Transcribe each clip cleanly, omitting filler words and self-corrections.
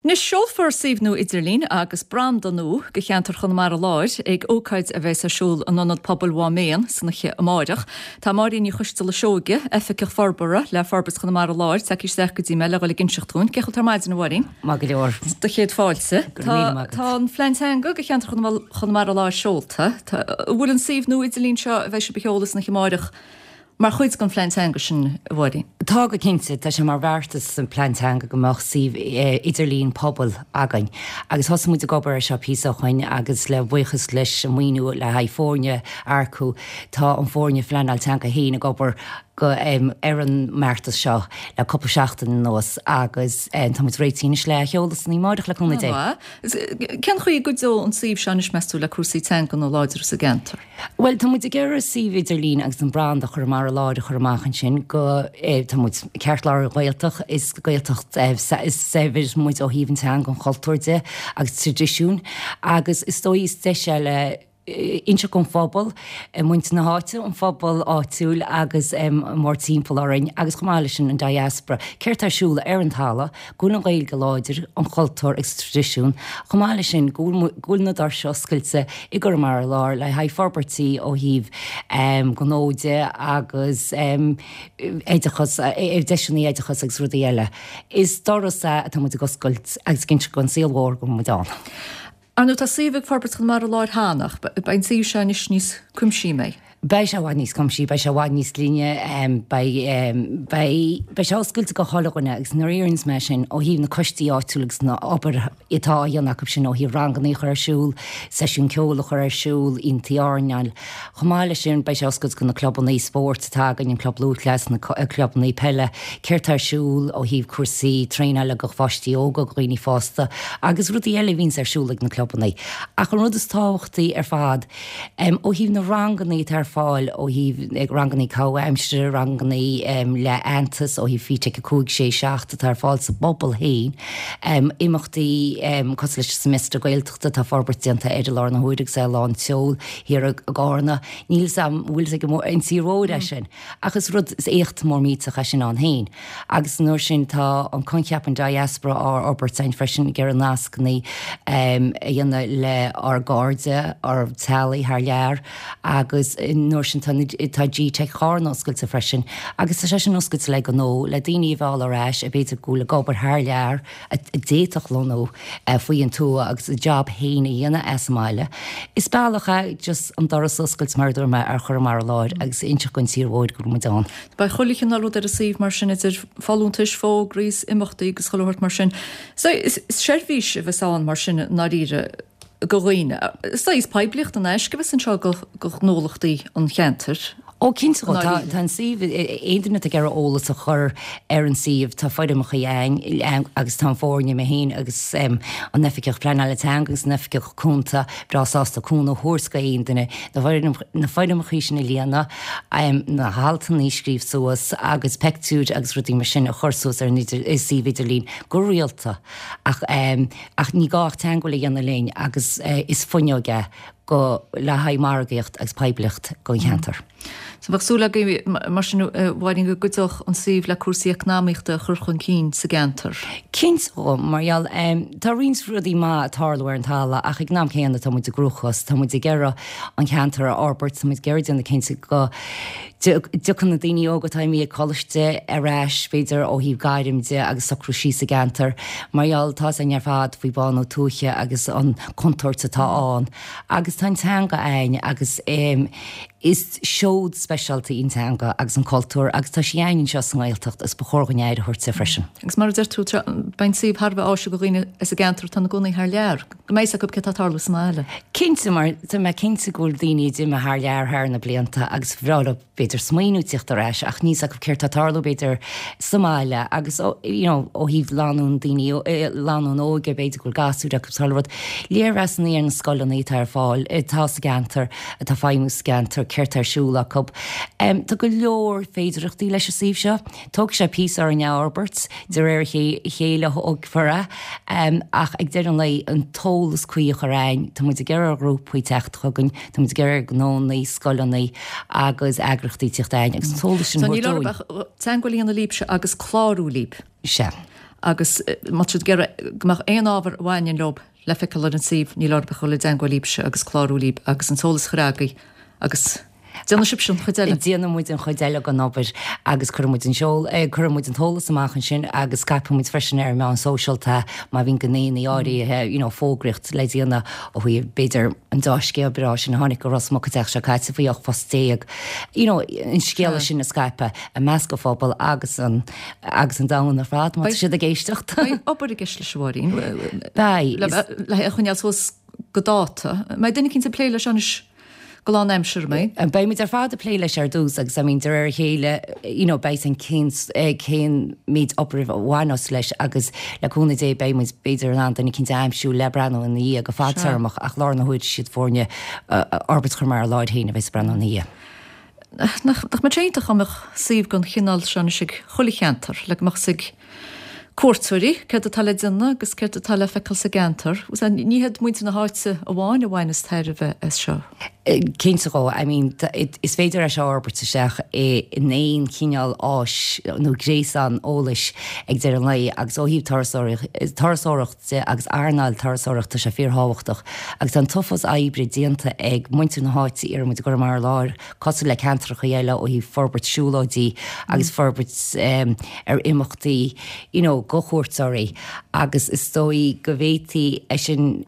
Anois, seolfar suíomh nua idirlín agus branda nua do cheantar Chonamara Láir ag ócáid a bheas ar siúl in Ionad Pobail Mhám Éan san oíche amáireach. Tá Máirín Ní Choisteala Seoige, Oifigeach Forbartha le Forbairt Chonamara Láir, tagtha isteach go dtí mé le dhul ag inseacht dúinn. Cén chaoi a bhfuil tú ar maidin, a Mháirín? Maith go leor. Do chéad fáilte. Go raibh míle maith agat. Tá an phlean teanga do cheantar Chonamara Láir seolta. An bhfuil an suíomh nua idirlín seo a bheidh sibh a sheoladh san oíche amáireach Mar chuid den phlean teanga sin, a Mháirín? Tá go cinnte. Tá sé mar bheartas sa phlean teanga go mbeadh suíomh idirlín pobail againn agus thosaigh muid ag obair air seo píosa ó shoin agus le buíochas leis an maoiniú le haghaidh foirne a earcú tá an foirne phleanáil teanga féin ag obair go ar an mbeartas seo le cúpla seachtain anuas agus tá muid réitithe anois le a sheoladh san oíche amáireach le cúnamh Dé. Cén chaoi a gcuideoidh an suíomh seo anois meas tú le cúrsaí teangan a láidriú sa gceantar? Bhuel, tá muid ag iarraidh suíomh idirlín agus an branda Chonamara Láir a chur amach ansin go, tá muid ceartlár an Ghaeltacht, is Gaeltacht saibhir muid ó thaobh an teanga, an chultúir de agus traidisiúin agus is dóigh is deis é le inseacht don phobal, muintir na háite, an phobal áitiúil agus mórtimpeall orainn agus chomh maith leis sin an diaspora, céard tá ar siúl ar an talamh. go bhfuil an Ghaeilge láidir, an cultúr agus traidisiún, chomh maith leis sin go bhfuil na doirse oscailte i gConamara Láir le haghaidh forbairtí ó thaobh gnó de agus oideachas, deiseanna oideachais agus rudaí eile. Is doras é atá muid ag oscailt agus ag inse don saol mhór go bhfuil muid ann. Ar ndóigh, tá suíomh ag Forbairt Chonamara Láir cheana, ach beidh an suíomh seo anois níos cuimsí, an mbeidh? Beidh sé i bhfad níos cuimsí, beidh sé i bhfad níos glinne, beidh, beidh, beidh sé oscailte go chuile dhuine agus nuair a deireanns mé sin, ó thaobh na coistí áitiúla agus na obair atá á dhéanamh acu sin ó thaobh ranganna a chur ar siúl, seisiún ceoil a chur ar siúl, aontaí airneáil. Chomh maith leis sin, beidh sé oscailte go na clubanna spóirt atá againn, an Club Lúthchleas, na clubanna peile, céard tá ar siúl ó thaobh cúrsaí traenála go pháistí óga, go dhaoine fásta agus rudaí eile a bhíonns ar siúl ag na clubanna. Ach an rud is tábhachtaí ar fad, ó thaobh na ranganna atá ar fáil, ó thaobh ranganna comhaimsire, ranganna le aitheantas, ó thaobh FETAC 5, 6, 7 atá ar fáil sa bpobal féin, imeachtaí cosúil leis an Semester Gaeltachta, tá forbairt déanta air i láthair na huaire agus é lán tseoil thiar i gCarna. Níl 'fhios a'm an bhfuil 'fhios ag an tír mhór é sin, ach is rud, is éacht mór millteach é sin ann féin. Agus an uair sin tá an coincheap an diaspora á fhorbairt againn freisin, ag iarraidh nascanna a dhéanamh le ár gcairde, ár dteaghlaigh thar lear agus an uair sin tá tá GTeic Charna oscailte freisin agus tá sé sin oscailte le gnó, le daoine a mhealladh ar ais a b'fhéidir go bhfuil ag obair thar lear, a d'fhéadfadh lonnú faoi an tuath agus a job féin a dhéanamh as an mbaile. Is bealach é just an doras a oscailt, mar a dúirt mé, ar Chonamara Láir agus inseacht don tír mhóir go bhfuil muid ann. Beidh chuile chineál rud ar an suíomh mar sin, idir folúntais, fógraí is imeachtaí agus chuile shórt mar sin. So is seirbhís a bheas ann mar sin i ndáiríre go dhaoine. Is saghas poiblíocht in aisce a bheas anseo go ghnólachtaí an cheantair. Ó, cinnte, tá an suíomh, aon duine atá ag iarraidh eolas a chur ar an suíomh, tá foirmeacha ann agus tá an foirne, mé féin agus an Oifigeach Pleanála Teanga agus an Oifigeach Cúnta breá sásta cúnamh a thabhairt go aon duine na foirmeacha sin a líonadh, na haltanna a scríobh suas agus peictiúir agus rudaí mar sin a chur suas ar an suíomh idirlín go rialta ach ach ní gá ach teagmháil a dhéanamh linn agus is fuinneog é go le haghaidh margaíocht agus poiblíocht don cheantar. So bheadh súil agaibh mar sin, a Mháirín, go gcuideodh an suíomh le cúrsaí eacnamaíochta a chur chun cinn sa gceantar? Cinnte, mar gheall, tá roinnt rudaí maith ag tarlú ar an talamh ach ag an am céanna tá muid i gcruachás, tá muid ag iarraidh an ceantar a fhorbairt, tá muid ag iarraidh déanamh cinnte go dtiocfaidh na daoine óga atá imithe ag coláiste ar ais, b'fhéidir ó thaobh gairm de agus socrú síos sa gceantar, mar gheall tá 'fhios againn ar fad faoi bánú tuaithe agus an contúirt atá ann. Agus tá an teanga againn agus is seod speisialta í an teanga agus an cultúr agus tá sí againn anseo sa nGaeltacht agus ba chóir dhúinn aire a thabhairt di freisin. Agus mar a deir tú, beidh an suíomh thar a bheith áisiúil do dhaoine as an gceantar atá ina gcónaí thar lear. Go mbeidh 'fhios acu céard atá ag tarlú sa mbaile. Cinnte, mar tá mé cinnte go bhfuil daoine a d'imigh thar lear thar na blianta agus ba bhreá leo b'fhéidir smaoineamh tíocht ar ais ach níl 'fhios acu céard tá ag tarlú b'fhéidir sa mbaile agus you know ó thaobh lánúin daoine lánúin óige b'fhéidir go bhfuil gasúir acu sa rud. Léirmheasanna ar na scoileanna atá ar fáil atá sa gceantar atá ag feidhmiú sa gceantar céard tá ar siúl acu. Tá go leor féidireachtaí leis an suíomh seo. Tógfaidh sé píosa orainn é a fhorbairt, de réir a chéile a thógfar é, ach ag deireadh an lae, an t-eolas cuí a chur againn, tá muid ag iarraidh ar ghrúpaí teacht chugainn, tá muid ag iarraidh ar gnónnaí, scoileanna agus eagraíochtaí teacht againn agus an t-eolas sin a thabhairt dúinn. So níl oraibh ach teagmháil a dhéanamh libhse agus clárú libh. Sea. Agus má tá siad ag iarraidh go mbeadh aon ábhar a bhaineann leo le feiceáil ar an suíomh, níl orthu ach dul i dteangmháil libhse agus clárú libh agus an t-eolas a chur agaibh agus déanfaidh sibhse an chuid eile. Déanfaidh muid an chuid eile den obair agus cuirfidh muid an seol, cuirfidh muid an t-eolas amach ansin agus scaipfidh muid freisin ar an meán sóisialta má bhíonn gnéanna áirithe, you know, fógraíocht le déanamh ó thaobh b'fhéidir an deá-scéal breá sin a tháinig go Ros Muc an tseachtain seo caite faoi 18 phost, you know, an scéala sin a scaipeadh i measc an phobail agus an agus an domhan ar fad má tá siad ag éisteacht. Beidh obair i gceist leis a Mháirín. Beidh. Le é a choinneáil suas go dáta. Mbeidh duine eicínt ag plé leis anois go lánaimseartha, an mbeidh? Beidh muid ar fad ag plé leis ar dtús agus I mean de réir a chéile you know beidh an cén cén méid obair a bhaineas leis agus le cúnamh Dé beidh muid b'fhéidir in ann duine eicínt a aimsiú le breathnú ina dhiaidh go fadtéarmach ach lár na huaire siad foirne Fhorbairt Chonamara Láir féin a bheas ag breathnú ina dhiaidh. Nach mbeadh sé iontach dá mbeadh suíomh den chineál seo anois ag chuile cheantar, le go mbeadh 'fhios ag cuairteoirí céard atá le déanamh agus céard atá le feiceáil sa gceantar. Ní hiad muintir na háite amháin a bhaineas tairbhe as seo. Cinnte dhó. I mean, is féidir é seo a fhorbairt isteach in aon chineál áis nó gréasán eolais ag deireadh an lae agus ó thaobh turasóireacht de agus earnáil turasóireachta tá sé fíorthábhachtach agus tá an t-uafás oibre déanta ag muintir na háite iarrann muid i gConamara Láir cosúil le ceantracha eile ó thaobh forbairt siúlóidí agus forbairt ar imeachtaí you know go chuairteoirí agus is dóigh go bhféadfaí é sin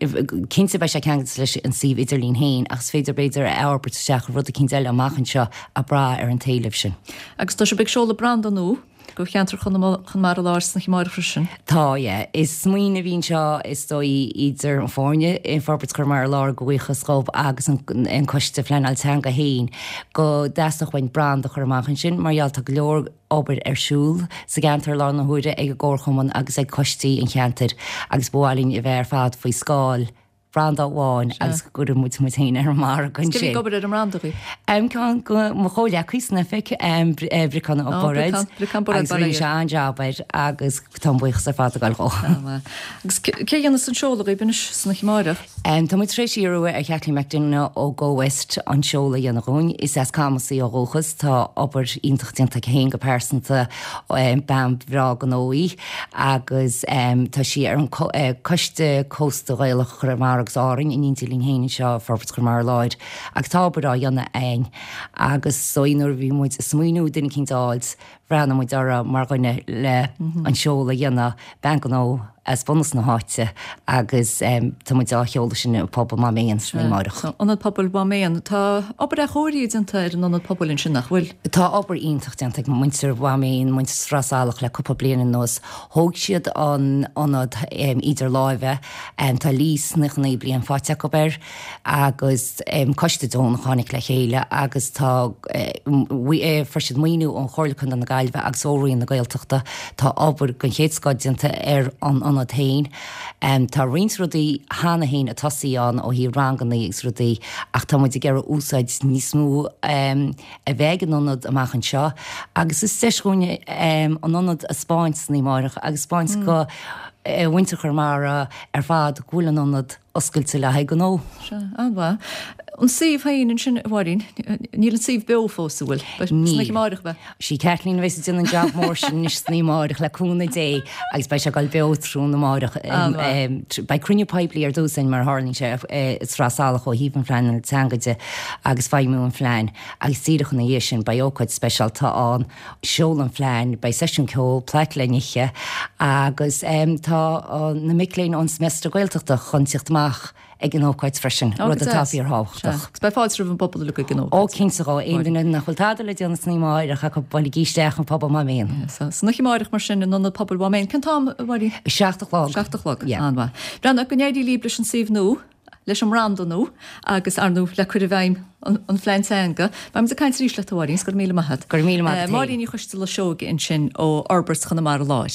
cinnte beidh sé ceangailte leis an suíomh idirlín féin ach is féidir b'fhéidir é a fhorbairt isteach i rud eicínt eile amach anseo ag brath ar an t-éileamh sin. Agus tá sibh ag seoladh branda nua go cheantar Chonamara Láir san oíche amárach freisin. Tá, yeah. Is smaoineamh a bhí anseo is dóigh idir an foirne i Forbairt Chonamara Láir, go bhuíochas dhóibh, agus an Coiste Phleanáil Teanga féin go dteastódh uainn branda a chur amach ansin mar gheall tá go leor obair ar siúl sa gceantar i láthair na huaire ag an gComharchumann agus ag coistí an cheantair agus ba mhaith linn a bheith ar fad faoi scáil branda amháin agus go gcuireann muid muid féin ar an margadh ansin. Cé a bhí ag obair ar an mbranda dhaoibh? Ceann de mo chomhghleacaí san oifig, Briocán Ó Bairéad, agus rinne sé an-jab air agus tá an buíochas ar fad ag dul dhó. Agus cé a dhéanfas an seoladh dhaoibh anois san oíche amárach? Tá muid tar éis iarraidh ar Kathleen McDonagh ó Go West an seoladh a dhéanamh dhúinn. Is as Camas í ó dhúchas, tá obair iontach déanta aici féin go pearsanta, bean bhreá gnó í. agus tá sí ar an Coiste Cósta Ghaelach Chonamara agus Árainn in éindí linn féin anseo i Forbairt Chonamara Láir agus tá obair á dhéanamh againn agus is dóigh nuair a bhí muid ag smaoineamh duine eicínt a fháilt bhreathnaigh muid uirthi mar dhuine le an seoladh a dhéanamh, bean gnó as bunús na háite agus tá muid á sheoladh sin i bpobal Mhám Éan san oíche amárach. Ionad Pobail Mhám Éan, tá obair athchóirithe déanta ar an ionad pobail ansin nach bhfuil? Tá obair iontach déanta ag muintir Mhám Éan, muintir Sraith Salach le cúpla bliain anuas. Thóg siad an ionad idir láimhe, tá lease 99 bliain faighte acu air agus coiste deonach a tháinig le chéile agus tá, fuair siad maoiniú ón Chomhairle Contae na Gaillimhe agus ó Roinn na Gaeltachta. Tá obair den chéad scoth déanta ar an ionad féin. Tá roinnt rudaí cheana féin ag tosaí ann ó thaobh ranganna agus rudaí ach tá muid ag iarraidh úsáid níos mó a bheith ag an ionad amach anseo agus is deis dhúinn an ionad a 'spáint san oíche amárach agus 'spáint go mhuintir Chonamara ar fad go bhfuil an ionad oscailte le haghaidh gnó. Sea, an-mhaith. An suíomh féin ansin, a Mháirín, níl an suíomh beo fós, an bhfuil? Níl. San oíche amárach a bheidh. Sí Kathleen a bheas ag déanamh an jab mór sin anois san oíche amárach le cúnamh Dé agus beidh sé ag dul beo tráthnóna amárach. Beidh cruinniú poiblí ar dtús againn mar a tharlaíonn sé i Sraith Salach ó thaobh an phleanáil teanga de agus feidhmiú an phlean agus díreach ina dhiaidh sin beidh ócáid speisialta ann, seoladh an phlean, beidh seisiún ceoil, plate le n-ithe agus tá na mic léinn ón Semester Gaeltachta chun tíocht amach. ag an ócáid freisin, rud atá fíorthábhachtach. Agus beidh fáilte roimh an bpobal uilig ag an ócáid. Ó, cinnte dhó. Aon duine nach bhfuil tada le déanamh san oíche amárach acu, buailigí isteach an Pobal Mhám Éan. San oíche amárach mar sin, in Ionad Pobail Mhám Éan. Cén t-am, a Mháirín? 7 a chlog. 7 a chlog. An-mhaith. Breathnaigh, go n-éirí libh leis an suíomh nua, leis an mbranda nua agus, ar ndóigh, le cur i bhfeidhm an phlean teanga. Beidh muid ag caint arís leat, a Mháirín, 's go raibh míle maith agat. Go raibh míle maith agat féin. Máirín Ní Choisteala Seoige ansin ó Fhorbairt Chonamara Láir.